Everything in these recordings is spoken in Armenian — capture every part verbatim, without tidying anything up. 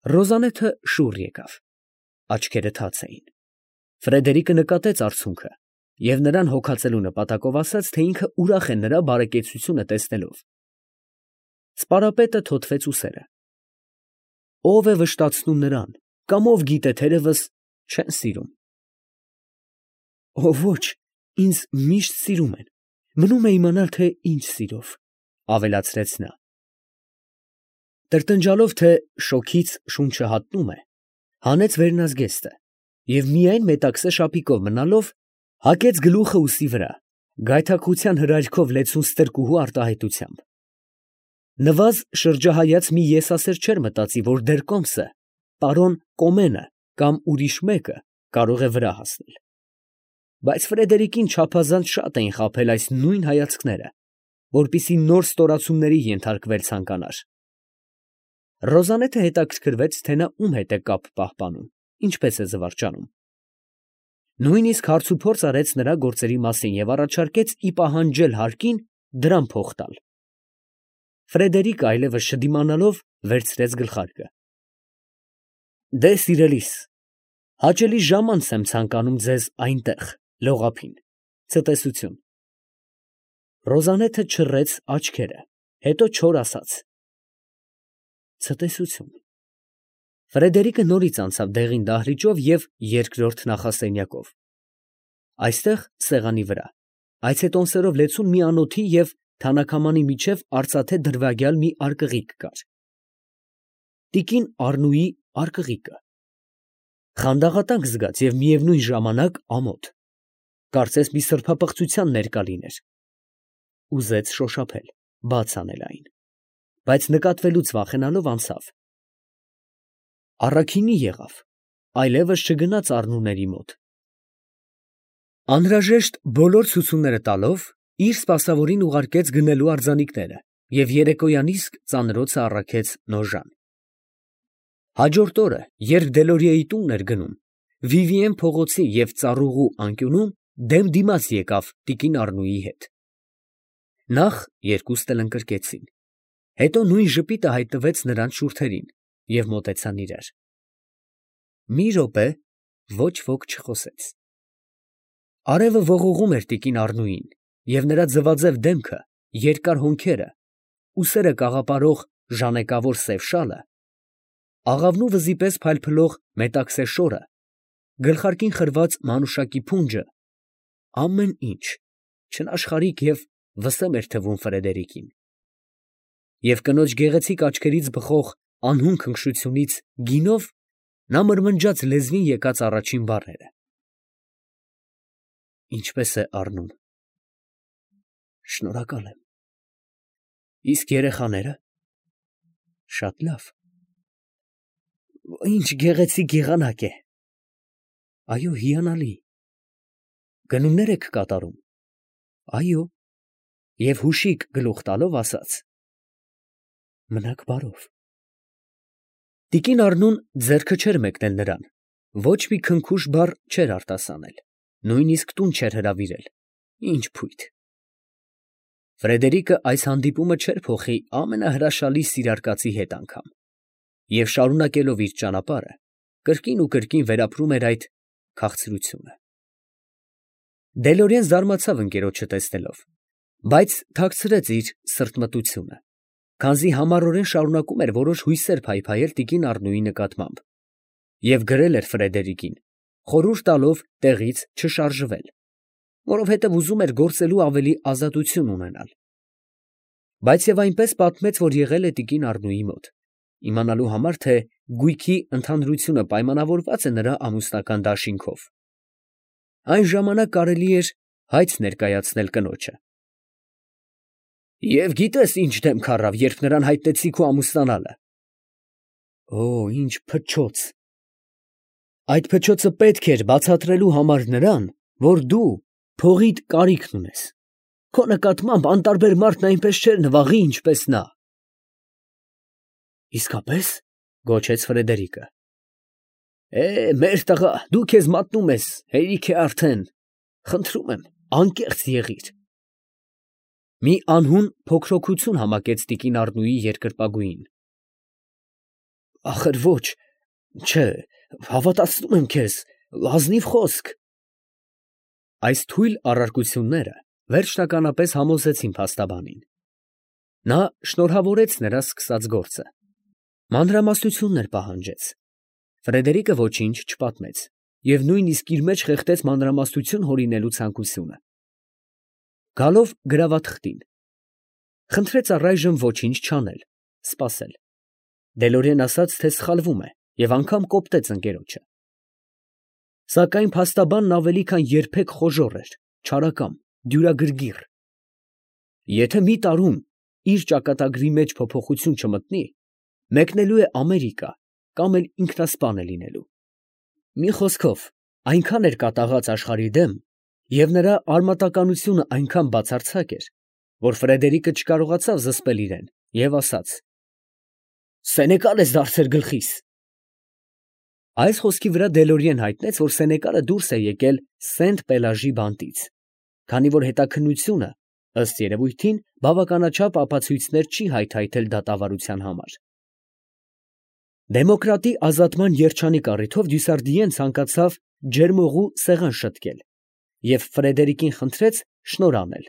Ռոզանեթը շուռ եկավ, աչքերը թաց էին։ Ֆրեդերիկը նկատեց արցունքը և նրան հոգացելու նպատակով ասաց, թե ինքը ուրախ է նրա բարեկեցությունը տեսնելով։ Սպարապետը թոթվեց ուսերը։ Ո՞վ է վշտացնում նրան, կամ ով գիտե, թերևս չեն սիրում։ Ո ոչ, ինձ միշտ սիրում են, մնում է իմանալ, թե ինչ սիրով, ավելացրեց նա։ Տրտնջալով, թե շոգից շունչը հատնում է, հանեց վերնազգեստը և միայն մետաքսե շապիկով մնալով, հակեց գլուխը ուսի վրա, գայթակղության հրայրքով լեցուն ստրկուհու արտահայտությամբ։ Նվազ շրջահայաց մի եսասեր չէր մտածի, որ դեռ կոմսը, պարոն Կոմենը կամ ուրիշ մեկը կարող է վրա հասնել։ Բայց Ֆրեդերիկին չափազանց շատ էին խաբել այս նույն հայացքները, որպեսզի նոր ստորացումների ենթարկվել ցանկանար։ Ռոզանեթը հետաքրքրվեց, թե նա ում հետ է կապ պահպանում, ինչպես է զվարճանում։ Նույնիսկ հարցուփորձ արեց նրա գործերի մասին և առաջարկեց ի պահանջել հարկին դրամ փող տալ։ Ֆրեդերիկը այլևս չդիմանալով վերցրեց գլխարկը։ Դե, սիրելիս, հաճելի ժամանց եմ ցանկանում ձեզ այնտեղ, լողափին, ցտեսություն։ Ռոզանեթը չռեց աչքերը, հետո չոր ասաց. Ցտեսություն։ Ֆրեդերիկը նորից անցավ դեղին դահլիճով և երկրորդ նախասենյակով։ Այստեղ, սեղանի վրա, այցետոնսերով լեցուն մի անոթի և թանաքամանի միջև արծաթե դրվագյալ մի արկղիկ կար։ Տիկին Առնուի արկղիկը, խանդաղատակ զգաց և միևնույն ժամանակ ամոթ, կարծես մի սրբապղծության ներկա լիներ։ Ուզեց շոշափել, բաց անել այն, բայց նկատվելուց վախենալով անցավ։ Առաքինի եղավ, այլևս չգնաց Առնուների մոտ։ Անհրաժեշտ բոլոր ցուցումները տալով, իր սպասավորին ուղարկեց գնելու արձանիկները և երեկոյան իսկ ծանրոցը առաքեց Նոժան։ Հաջորդ օրը, երբ Դելորիեի տունն էր գնում, Վիվիեն փողոցի և ծառուղու անկյունում դեմ դիմաց եկավ տիկին Առնուի հետ։ Նախ երկուսն էլ ընկրկեցին, հետո նույն ժպիտը հայտնվեց նրանց շուրթերին և մոտեցան իրար։ Մի րոպե ոչ ոք չխոսեց։ Արևը ողողում էր տիկին Առնուին, և նրա ձվաձև դեմքը, երկար հոնքերը, ուսերը կաղապարող ժանեկավոր սև շալը, աղավնու վզի պես փայլփլող մետաքսե շորը, գլխարկին խրված մանուշակի փունջը, ամեն ինչ չնաշխարհիկ և վսեմ էր թվում Ֆրեդերիկին։ Եվ կնոջ գեղեցիկ աչքերից բխող անհուն քնքշությունից գինով նա մրմնջաց լեզվին եկած առաջին բառերը. Ինչպե՞ս է Առնուն։ Շնորհակալ եմ։ Իսկ երեխաները։ Շատ լավ։ Ինչ գեղեցիկ եղանակ է։ Այո, հիանալի։ Գնումներ եք կատարում։ Այո։ Եվ հուշիկ գլուխ տալով ասաց. Մնաք բարով։ Տիկին Առնուն ձեռքը չէր մեկնել նրան, ոչ մի քնքուշ բառ չէր արտասանել, նույնիսկ տուն չէր հրավիրել։ Ինչ փույթ։ Ֆրեդերիկը այս հանդիպումը չէր փոխի ամենահրաշալի սիրարկածի հետ անգամ, և շարունակելով իր ճանապարհը, կրկին ու կրկին վերապրում էր այդ քաղցրությունը։ Դելորիեն զարմացավ ընկերոջը տեսնելով, բայց թաքցրեց իր սրտմտությունը, քանզի համառորեն շարունակում էր որոշ հույսեր փայփայել տիկին Առնուի նկատմամբ, և գրել էր Ֆրեդերիկին, խորհուրդ տալով տեղից չշարժվել, որովհետև ուզում էր գործելու ավելի ազատություն ունենալ։ Բայց և այնպես պատմեց, որ եղել է տիկին Առնուի մոտ, իմանալու համար, թե գույքի ընդհանրությունը պայմանավորված է նրա ամուսնական դաշինքով։ Այն ժամանակ կարելի էր հայց ներկայացնել կնոջը։ Եվ գիտե՞ս ինչ դեմք առավ, երբ նրան հայտնեցի քո ամուսնանալը։ Օ, ինչ փչոց։ Այդ փչոցը պետք էր բացատրելու համար նրան, որ դու փողիդ կարիքն ունես։ Քո նկատմամբ անտարբեր մարդն այնպես չէր նվաղի, ինչպես նա։ Իսկապես, գոչեց Ֆրեդերիկը։ Է, մեր տղա, դու քեզ մատնում ես, հերիք է արդեն, խնդրում եմ, անկեղծ եղիր։ Մի անհուն փոքրոքություն համակեց տիկին Առնուի երկրպագուին։ Ախր ոչ, չէ, հավատացնում եմ քեզ, ազնիվ խոսք։ Այս թույլ առարկությունները վերջնականապես համոզեցին փաստաբանին. նա շնորհավորեց նրա սկսած գործը, մանրամասնություններ պահանջեց, Ֆրեդերիկը ոչինչ չպատմեց և նույնիսկ իր մեջ խեղդեց մանրամասնություն հորինելու ցանկությունը։ Գալով գրավաթղթին, խնդրեց առայժմ ոչինչ չանել, սպասել։ Դելորեն ասաց, թե սխալվում է և անգամ կոպտեց ընկերոջը։ Սակայն փաստաբանն ավելի քան երբեք խոժոռ էր, չարակամ, դյուրագրգիռ։ Եթե մի տարում իր ճակատագրի մեջ փոփոխություն չմտնի, մեկնելու է Ամերիկա կամ էլ ինքնասպան է լինելու։ Մի խոսքով, այնքան էր կատաղած աշխարհի դեմ, և նրա արմատականությունը այնքան բացարձակ էր, որ Ֆրեդերիկը չկարողացավ զսպել իրեն և ասաց. «Սենեկալ ես դարձել գլխիս»։ Այս խոսքի վրա Դելորիեն հայտնեց, որ Սենեկալը դուրս է եկել Սենտ֊Պելաժի բանտից, քանի որ հետաքննությունը, ըստ երևույթին, բավականաչափ ապացույցներ չի հայթայթել դատավարության համար։ Դեմոկրատի ազատման երջանիկ առիթով Դյուսարդիեն ցանկացավ ջերմօղու սեղան շտկել և Ֆրեդերիկին խնդրեց շնորհ անել,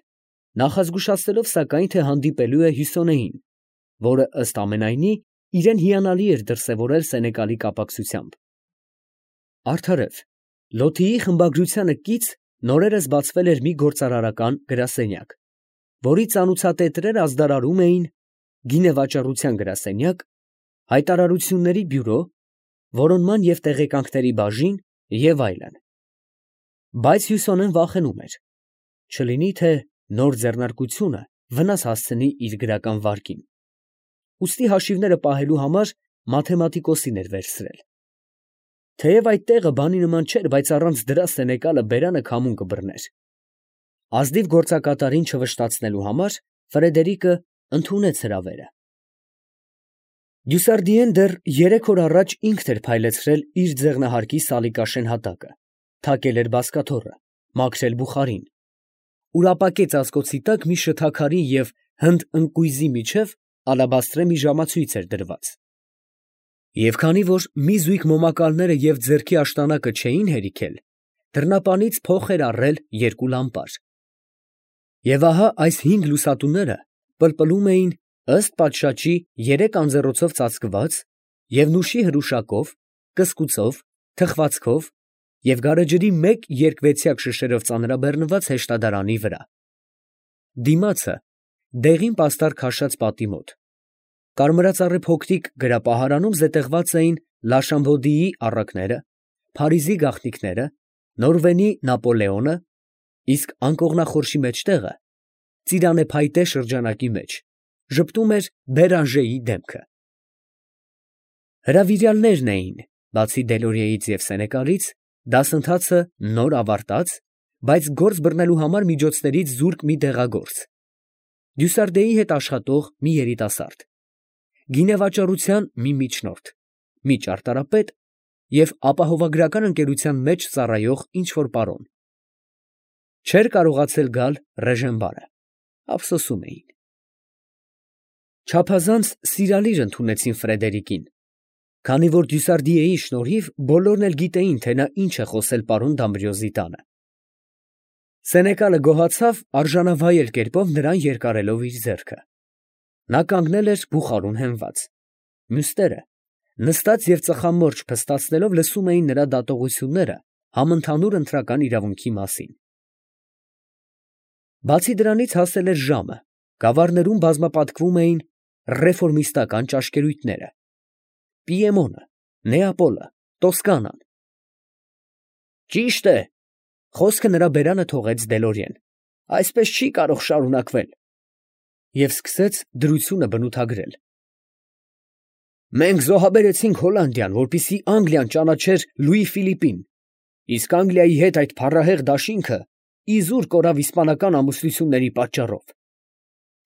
նախազգուշացնելով սակայն, թե հանդիպելու է Հյուսոնեին, որը, ըստ ամենայնի, իրեն հիանալի էր դրսևորել Սենեկալի կապակցությամբ։ Արդարև, Լոթիի խմբագրությանը կից նորերս բացվել էր մի գործարարական գրասենյակ, որի ծանուցատետրերը ազդարարում էին գինեվաճառության գրասենյակ, հայտարարությունների բյուրո, որոնման և տեղեկանքների բաժին և այլն։ Բայց Հյուսոնեն վախենում էր, չլինի թե նոր ձեռնարկությունը վնաս հասցնի իր գրական վարկին, ուստի հաշիվները պահելու համար մաթեմատիկոսին էր վերցրել։ Թեև այդ տեղը բանի նման չէր, բայց առանց դրա Սենեկալը բերանը քամուն կբռներ։ Ազնիվ գործակատարին չվշտացնելու համար Ֆրեդերիկը ընդունեց հրավերը։ Դյուսարդիեն դեռ երեք օր առաջ ինքն էր փայլեցրել իր ձեղնահարկի սալիկաշեն հատակը, թակել էր բազկաթոռը, մաքրել բուխարին, ուրապակե ծածկոցի տակ մի շթաքարի և հնդ ընկույզի միջև ալաբաստրե մի ժամացույց էր դրված։ Եվ քանի որ մի զույգ մոմակալները և ձեռքի աշտանակը չէին հերիքել, դռնապանից փող էր առել երկու լամպար։ Եվ ահա այս հինգ լուսատուները պլպլում էին ըստ պատշաճի երեք անձեռոցով ծածկված և նուշի հրուշակով, կսկուծով, թխվածքով և գարեջրի մեկ երկվեցյակ շշերով ծանրաբեռնված հեշտադարանի վրա։ Դիմացը դեղին պաստառ քաշած պատի մոտ, կարմրածառի փոքրիկ գրապահարանում զետեղված էին Լաշամբոդիի առակները, Փարիզի գաղտնիքները, Նորվենի Նապոլեոնը, իսկ անկողնախորշի մեջտեղը, ծիրանեփայտե շրջանակի մեջ, ժպտում էր Բերանժեի դեմքը։ Հրավիրյալներն էին, բացի Դելորիեից և Սենեկալից, դասընթացը նոր ավարտած, բայց գործ բռնելու համար միջոցներից զուրկ մի դեղագործ, Դյուսարդեի հետ աշխատող մի երիտասարդ, գինեվաճառության մի միջնորդ, մի ճարտարապետ և ապահովագրական ընկերության մեջ ծառայող ինչ֊որ պարոն։ Չէր կարողացել գալ Ռեժենբարը, ափսոսում էին։ Չափազանց սիրալիր ընդունեցին Ֆրեդերիկին, քանի որ Դյուսարդիեի շնորհիվ բոլորն էլ գիտեին, թե նա ինչ է խոսել պարոն Դամբրիոզի տանը։ Սենեկալը գոհացավ արժանավայել կերպով նրան երկարելով իր ձեռքը։ Նա կանգնել էր բուխարուն հենված, մյուսները նստած և ծխամորճ փստացնելով լսում էին նրա դատողությունները համընդհանուր ընտրական իրավունքի մասին։ Բացի դրանից հասել էր ժամը, գավառներում բազմապատկվում էին ռեֆորմիստական ճաշկերույթները, Պիեմոնը, Նեապոլը, Տոսկանան։ Ճիշտ է, խոսքը նրա բերանը թողեց Դելորիեն, այսպես չի կարող շարունակվել։ Եվ սկսեց դրությունը բնութագրել։ Մենք զոհաբերեցինք Հոլանդիան, որպեսզի Անգլիան ճանաչեր Լուի Ֆիլիպին, իսկ Անգլիայի հետ այդ փառահեղ դաշինքը իզուր կորավ իսպանական ամուսնությունների պատճառով։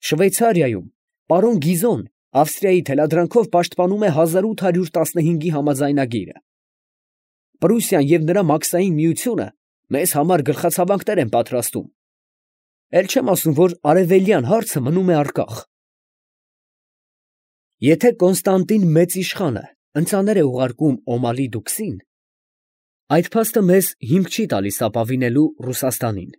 Շվեյցարիայում պարոն Գիզոն Ավստրիայի թելադրանքով պաշտպանում է հազար ութ հարյուր տասնհինգի համաձայնագիրը։ Պրուսիան և նրա մաքսային միությունը մեզ համար գլխացավանքներ են պատրաստում։ Էլ չեմ ասում, որ արևելյան հարցը մնում է առկախ։ Եթե Կոնստանտին մեծ իշխանը ընծաներ է ուղարկում Օմալի դուքսին, այդ փաստը մեզ հիմք չի տալիս ապավինելու Ռուսաստանին,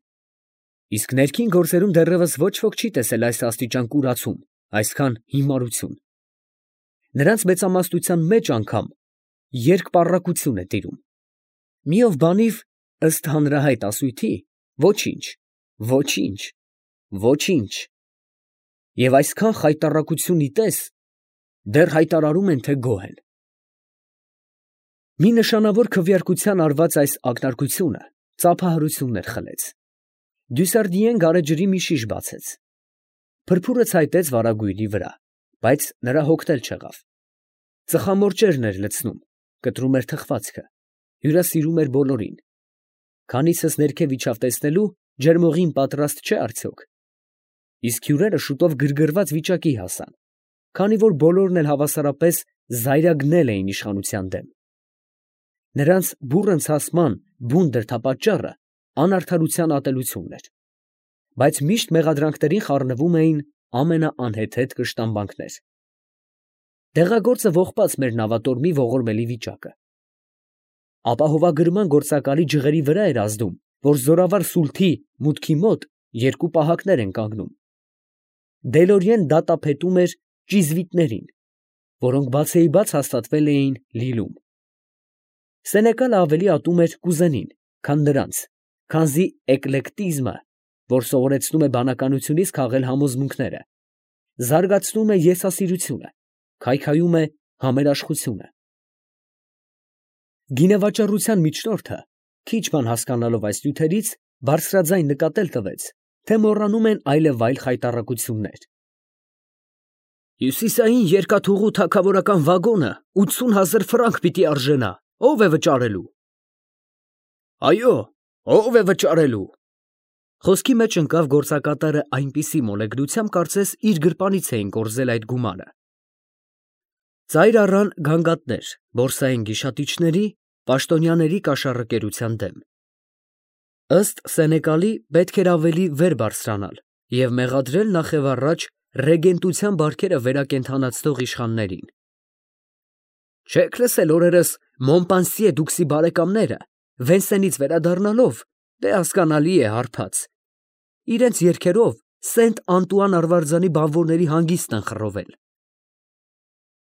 իսկ ներքին գործերում դեռևս ոչ ոք չի տեսել այս աստիճան կուրացում, այսքան հիմարություն. նրանց մեծամասնության մեջ անգամ երկպառակություն է տիրում, մի ով բանիվ, ըստ հանրահայտ ասույթի, ոչինչ, ոչինչ, ոչինչ, և այսքան խայտառակություն ի տես, դեռ հայտարարում են, թե գոհ են։ Մի նշանավոր քվեարկության արված այս ակնարկությունը ծափահարություններ խլեց. Դյուսարդիեն գարեջրի մի շիշ բացեց, փրփուրը ցայտեց վարագույրի վրա, բայց նրա հոգնել չեղավ, ծխամորճերն էր լցնում, կտրում էր թխվածքը, հյուրասիրում էր բոլորին, քանիցս ներքև իջավ տեսնելու, ջերմողին պատրաստ չէ արդյոք, իսկ հյուրերը շուտով գրգռված վիճակի հասան, քանի որ բոլորն էլ հավասարապես զայրագնել էին իշխանության դեմ։ Նրանց բուռն ցասման բուն դրդապատճառը անարդարության ատելությունն էր, բայց միշտ մեղադրանքներին խառնվում էին ամենաանհեթեթ կշտամբանքներ։ Դեղագործը ողբաց մեր նավատորմի ողորմելի վիճակը։ Ապահովագրման գործակալի ջղերի վրա էր ազդում, որ զորավար Սուլթի մուտքի մոտ երկու պահակներ են կանգնում։ Դելորիեն դատապետում էր ճիզվիտներին, որոնք բացեիբաց հաստատվել էին Լիլում։ Սենեկալը ավելի ատում էր կուզենին, քան նրանց, քանզի էկլեկտիզմը, որ սովորեցնում է բանականությունից քաղել համոզմունքները, զարգացնում է եսասիրությունը, քայքայում է համերաշխությունը։ Գինեվաճառության միջնորդը, քիչ բան հասկանալով այս նյութերից, բարձրաձայն նկատել տվեց, թե մոռանում են այլևայլ խայտառակություններ։ Հյուսիսային երկաթուղու թագավորական վագոնը ութսուն հազար ֆրանկ պիտի արժենա, ո՞վ է վճարելու։ Այո, ո՞վ է վճարելու։ Խոսքի մեջ ընկավ գործակատարը այնպիսի մոլեգնությամբ, կարծես իր գրպանից էին կորզել այդ գումարը։ Ծայր առան գանգատներ բորսային գիշատիչների, պաշտոնյաների կաշառակերության դեմ։ Ըստ Սենեկալի պետք էր ավելի վեր բարձրանալ և մեղադրել նախևառաջ ռեգենտության բարքերը վերակենդանացնող իշխաններին։ Չեք լսել օրերս Մոնպանսիե դուքսի բարեկամները, Վենսենից վերադառնալով, դե հասկանալի է հարբած, իրենց երգերով Սենտ Անտուան Արվարձանի բանվորների հանգիստն են խռովել։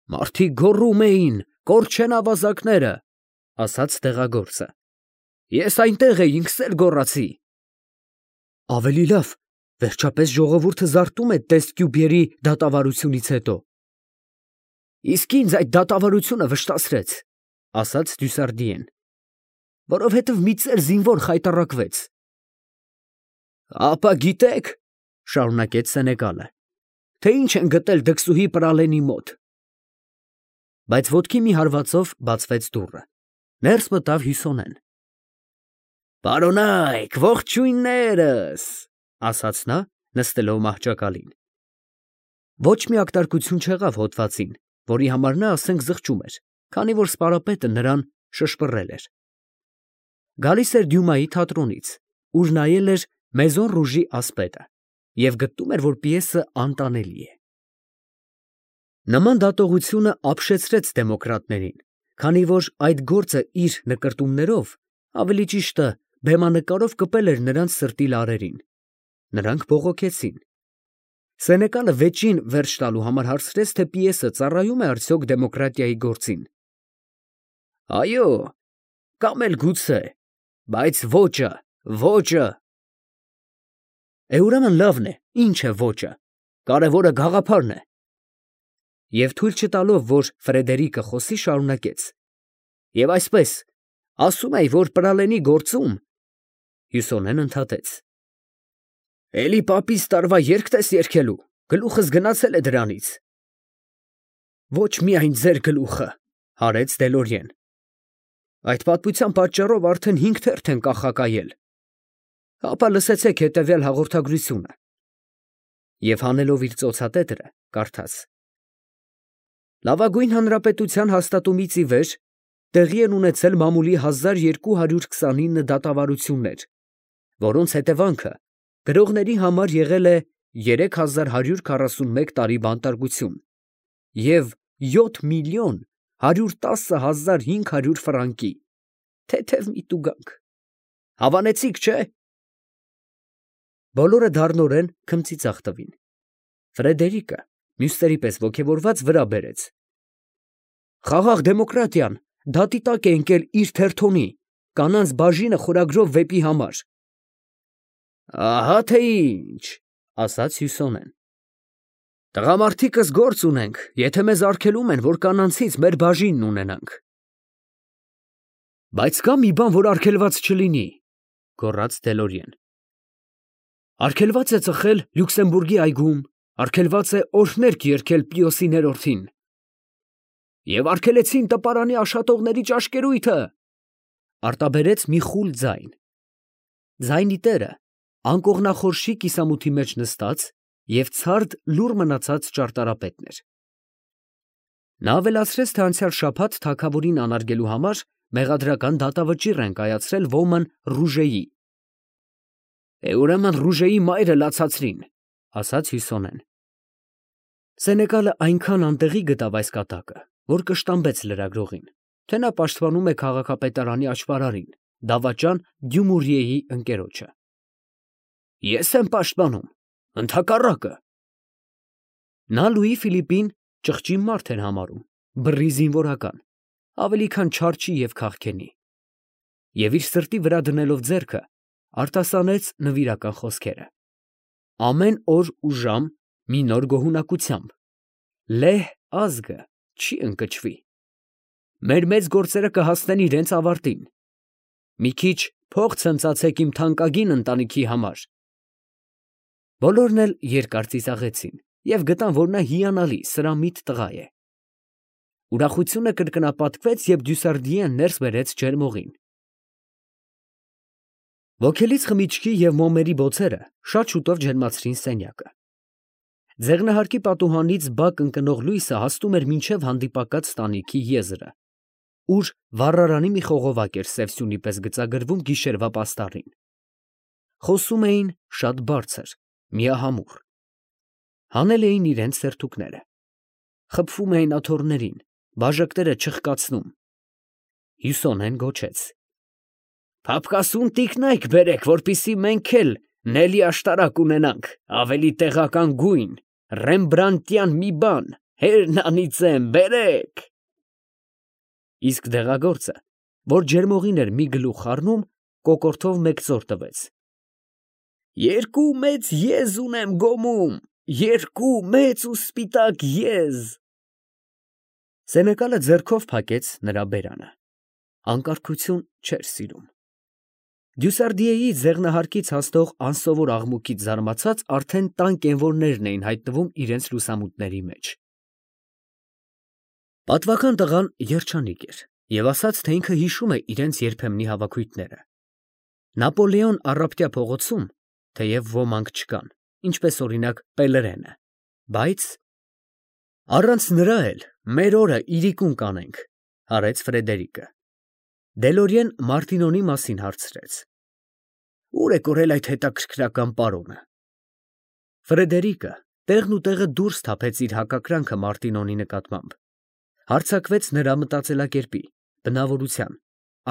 Մարդիկ գոռում էին. «Կորչեն ավազակները», ասաց տեղագործը։ Ես այնտեղ էի, ինքս էլ գոռացի։ Ավելի լավ, վերջապես ժողովուրդը զարթում է Տեստկյուբերի դատավարությունից հետո։ Իսկ ինձ այդ դատավարությունը վշտացրեց, ասաց Դյուսարդիեն, որովհետև մի ծեր զինվոր խայտառակվեց։ Ապա գիտեք, շարունակեց Սենեկալը, թե ինչ են գտել դքսուհի Պրալենի մոտ։ Բայց ոտքի մի հարվածով բացվեց դուռը, ներս մտավ Հյուսոնեն։ Պարոնայք, ողջույններս, ասաց նա, նստելով մահճակալին։ Ոչ մի ակտարկություն չեղավ հոդվածին, որի համար նա ասենք զղջում էր, քանի որ սպարապետը նրան շշպռել էր։ Գալիս էր Դյումայի թատրոնից, ուր նայել էր Մեզոն Ռուժի ասպետը և գտնում էր, որ պիեսը անտանելի է։ Նման դատողությունը ապշեցրեց դեմոկրատներին, քանի որ այդ գործը իր նկրտումներով, ավելի ճիշտը բեմանկարով կպել էր նրանց սրտի լարերին։ Նրանք բողոքեցին։ Սենեկալը վեճին վերջ տալու համար հարցրեց, թե պիեսը ծառայում է արդյոք դեմոկրատիայի գործին։ Այո, կամ էլ գուցե, բայց ոճը, ոճը։ Է ուրեմն լավն է, ինչ է ոճը, կարևորը գաղափարն է։ Եվ թույլ չտալով, որ Ֆրեդերիկը խոսի, շարունակեց. Եվ այսպես, ասում էի, որ Պրալենի գործում… Հյուսոնեն ընդհատեց. Էլի պապիս տարվա երգ տես երգելու, գլուխս գնացել է դրանից։ Ոչ միայն ձեր գլուխը, հարեց Դելորիեն։ Այդ պատմության պատճառով արդեն հինգ թերթ են կախակայել։ Հապա լսեցեք հետևյալ հաղորդագրությունը։ Եվ հանելով իր ծոցատետրը, կարդաց. Լավագույն հանրապետության հաստատումից ի վեր տեղի են ունեցել մամուլի հազար երկու հարյուր քսանինը դատավարություններ, որոնց հետևանքը գրողների համար եղել է երեք հազար հարյուր քառասունմեկ տարի բանտարկություն և յոթ միլիոն հարյուր տասը հազար հինգ հարյուր ֆրանկի, թեթև մի տուգանք, հավանեցիք, չէ՞։ Բոլորը դառնորեն քմծիծաղ տվին։ Ֆրեդերիկը մյուսների պես ոգևորված վրա բերեց. «Խաղաղ դեմոկրատիան դատի տակ է ընկել իր թերթոնի, կանանց բաժինը խորագրով վեպի համար»։ «Ահա թե ինչ, ֊ ասաց Հյուսոնեն, ֊ տղամարդիկս գործ ունենք, եթե մեզ արգելում են, որ կանանցից մեր բաժինն ունենանք»։ «Բայց կա մի բան, որ արգելված չլինի, ֊ գոռաց Դելորիեն. ֊ արգելված է ծխել Լյուքսեմբուրգի այգում, արգելված է օրհներգ երգել Պիոսի ներորդին, և արգելեցին տպարանի աշատողների ճաշկերույթը, ֊ արտաբերեց մի խուլ ձայն։ Ձայնի տերը անկողնախորշի կիսամութի մեջ նստած և ցարդ լուռ մնացած ճարտարապետն էր։ Նա ավելացրեց, թե անցյալ շաբաթ թագավորին անարգելու համար մեղադրական դատավճիռ են կայացրել ոմն Ռուժեի։ «Է, ուրեմն Ռուժեի մայրը լացացրին, ֊ ասաց Հյուսոնեն։ Սենեկալը այնքան անտեղի գտավ այս կատակը, որ կշտամբեց լրագրողին, թե նա պաշտպանում է քաղաքապետարանի աճպարարին, դավաճան Դյումուրիեի ընկերոջը։ «Ես եմ պաշտպանում, ընդհակառակը»։ Նա Լուի Ֆիլիպին ճղճի մարդ էր համարում, բռի զինվորական, ավելի քան չարչի և քաղքենի, և իր սրտի վրա դնելով ձեռքը, արտասանեց նվիրական խոսքերը. «Ամեն օր ու ժամ մի նոր գոհունակությամբ, լեհ ազգը չի ընկճվի, մեր մեծ գործերը կհասնեն իրենց ավարտին, մի քիչ փող ցնծացեք իմ թանկագին ընտանիքի համար»։ Բոլորն էլ երկար ծիծաղեցին և գտան, որ նա հիանալի սրամիտ տղա է։ Ուրախությունը կրկնապատկվեց, երբ Դյուսարդիեն ներս բերեց ջերմողին։ Ոգելից խմիչքի և մոմերի բոցերը շատ շուտով ջերմացրին սենյակը։ Ձեղնահարկի պատուհանից բակ ընկնող լույսը հասնում էր մինչև հանդիպակաց տանիքի եզրը, ուր վառարանի մի խողովակ էր սև սյունի պես գծագրվում գիշերվա պաստառին։ Խոսում էին շատ բարձր, միահամուռ, հանել էին իրենց սերթուկները, խփվում էին աթոռներին, բաժակները չխկացնում։ Հյուսոնեն գոչեց. «Փափկասուն տիկնայք բերեք, որպեսզի մենք էլ Նելի աշտարակ ունենանք, ավելի տեղական գույն, ռեմբրանտյան մի բան, հերնանիծեմ, բերեք»։ Իսկ դեղագործը, որ ջերմողին էր մի գլուխ խառնում, կոկորդով մեկ ծոր տվեց. «Երկու մեծ եզ ունեմ գոմում, երկու մեծ ու սպիտակ եզ»։ Սենեկալը ձեռքով փակեց նրա բերանը, անկարգություն չէր սիրում։ Դյուսարդիեի ձեղնահարկից հասնող անսովոր աղմուկից զարմացած արդեն տան կենվորներն էին հայտնվում իրենց լուսամուտների մեջ։ Պատվական տղան երջանիկ էր և ասաց, թե ինքը հիշում է իրենց երբեմնի հավաքույթները։ Նապոլեոն առապտյա փողոցում, թեև ոմանք չկան, ինչպես օրինակ Պելերենը, բայց առանց նրա էլ մեր օրը իրիկուն կանենք, ֊ հարեց Ֆրեդերիկը։ Դելորիեն Մարտինոնի մասին հարցրեց. «Ո՞ւր է կորել այդ հետաքրքրական պարոնը»։ Ֆրեդերիկը տեղն ու տեղը դուրս թափեց իր հակակրանքը Մարտինոնի նկատմամբ, հարձակվեց նրա մտածելակերպի, բնավորության,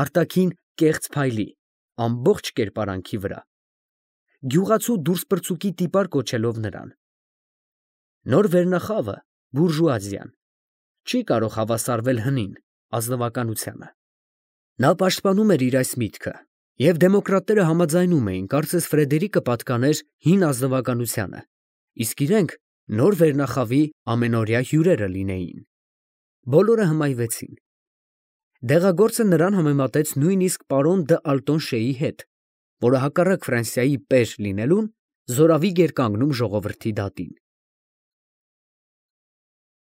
արտաքին կեղծ փայլի, ամբողջ կերպարանքի վրա, գյուղացու դուրսպրծուկի տիպար կոչելով նրան։ Նոր վերնախավը, բուրժուազիան, չի կարող հավասարվել հնին, ազնվականությանը։ Նա պաշտպանում էր իր այս միտքը, և դեմոկրատները համաձայնում էին, կարծես Ֆրեդերիկը պատկաներ հին ազնվականությանը, իսկ իրենք նոր վերնախավի ամենօրյա հյուրերը լինեին։ Բոլորը հմայվեցին։ Դեղագործը նրան համեմատեց նույնիսկ պարոն դ'Ալտոնշեի հետ, որը հակառակ Ֆրանսիայի պեր լինելուն զորավիգ էր կանգնում ժողովրդի դատին։